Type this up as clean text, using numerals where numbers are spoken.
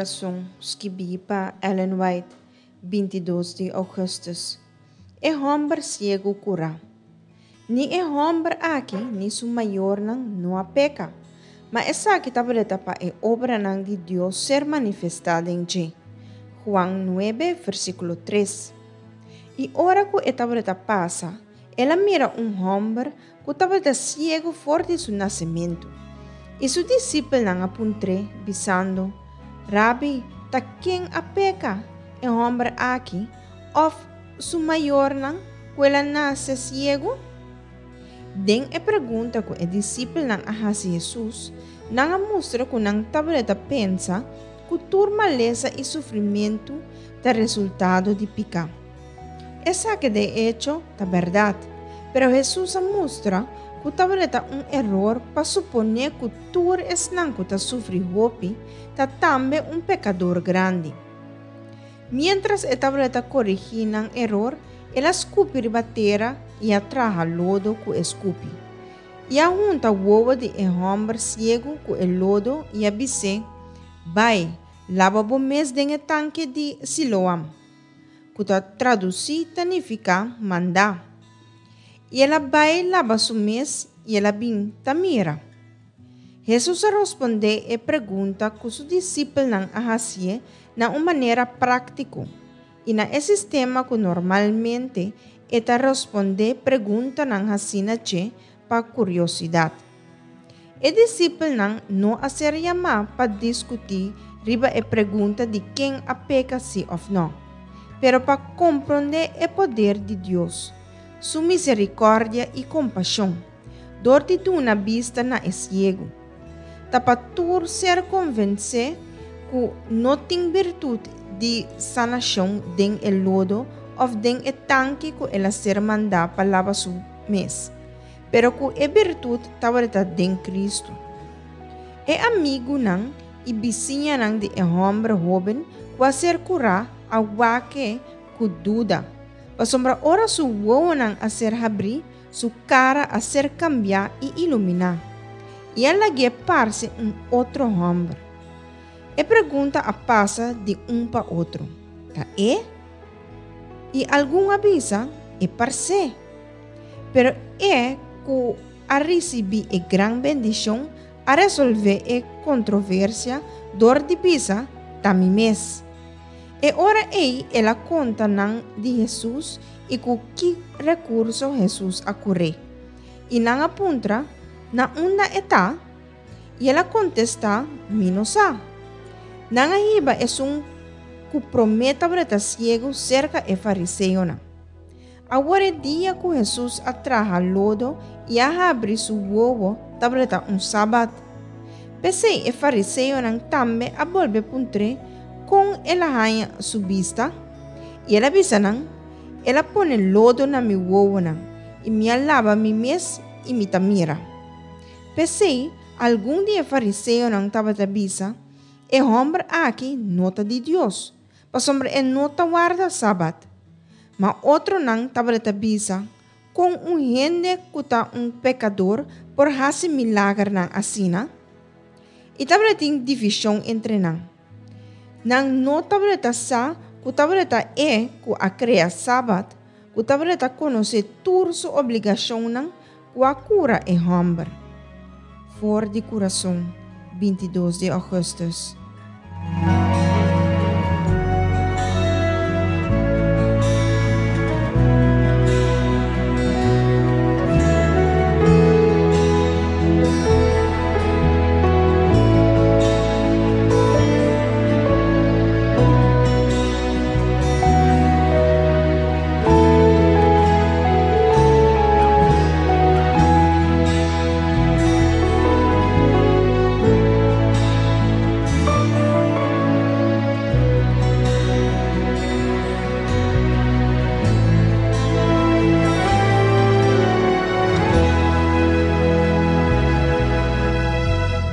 Kurason, skibí pa Ellen White, 22 di ougùstùs. E hòmber siegu kurá. Ni e hòmber aki ni su mayornan no a peka, ma esaki tabata pa e obranan di Dios ser manifestá den dje. Juan 9, versíkulo 3. I ora ku e tabata pasa, el a mira un hòmber ku tabata siegu for di su nasementu. I su disipelnan a puntr'é, bisando, Rabi, ta ken a peka, e hòmber aki òf su mayornan, ku el a nase siegu? Den e pregunta ku e disipelnan a hasi Hesus, nan a mustra ku nan tabata pensa ku tur malesa i sufrimentu ta resultado di piká. Esaki de echo ta bèrdat, pero Hesus a mustra ku tabata un eror pa suponé ku tur esnan ku ta sufri hopi ta tambe un pekador grandi. Miéntras e tabata korigí nan eror, el a skupi riba tera i a traha lodo ku e skupi. I a hunta wowo di e hòmber siegu ku e lodo i a bis'é, Bai, laba bo mes den e tanke di Siloam, ku ta tradusí ta nifiká mandá. I el a bai laba su mes i el a bin ta mira. Hesus a rospondé e pregunta ku su disipelnan a hasié na un manera práktiko i na e sistema ku normalmente e ta rospondé preguntanan hasí na dje pa kuriosidat. E disipelnan no a ser yamá pa diskutí riba e pregunta di ken a peka sí òf nò, pero pa komprondé e poder di Dios, su miserikòrdia i kompashon, dor di duna bista na e siegu. Ta pa tur ser konvensé ku no tin birtut di sanashon den e lodo òf den e tanki ku el a ser mandá pa laba su mes. Pero ku e birtut tabata den Kristu. E amigunan i bisiñanan di e hòmber hóben ku a ser kurá a wak e ku duda, pasobra ora su wowonan a ser habrí, su kara a ser kambiá i iluminá, i a lag'é parse un otro hòmber. E pregunta a pasa di un pa otro, Ta e? I algun a bisa, E pars'é. Pero e ku a risibí e gran bendishon a resolvé e kontroversia dor di bisa, Ta mi mes. E ora ei el a konta nan di Hesus i ku ki rekurso Hesus a kur'é. I nan a puntra, Na unda e ta? I el a kontestá, Mi no sa. Nan a hiba esun ku promé tabata siegu serka e fariseonan. Awor e dia ku Hesus a traha lodo i a habri su wowo tabata un sabat. P'esei e fariseonan tambe a bolbe puntr'é kon el a haña su bista. I el a bisa nan, El a pone lodo na mi wowonan, i mi a laba mi mes i mi ta mira. P'esei algun di e fariseonan tabata bisa, E hòmber aki no ta di Dios, pasobra e no ta warda sabat. Ma otronan tabata bisa, Kon un hende ku ta un pekador por hasi milagernan asina? I tabatin divishon entre nan. Nan no tabata sa ku tabata e ku a krea sabat, ku tabata konosé tur su obligashonnan ku a kura e hòmber. For di kurason, 22 di ougùstùs.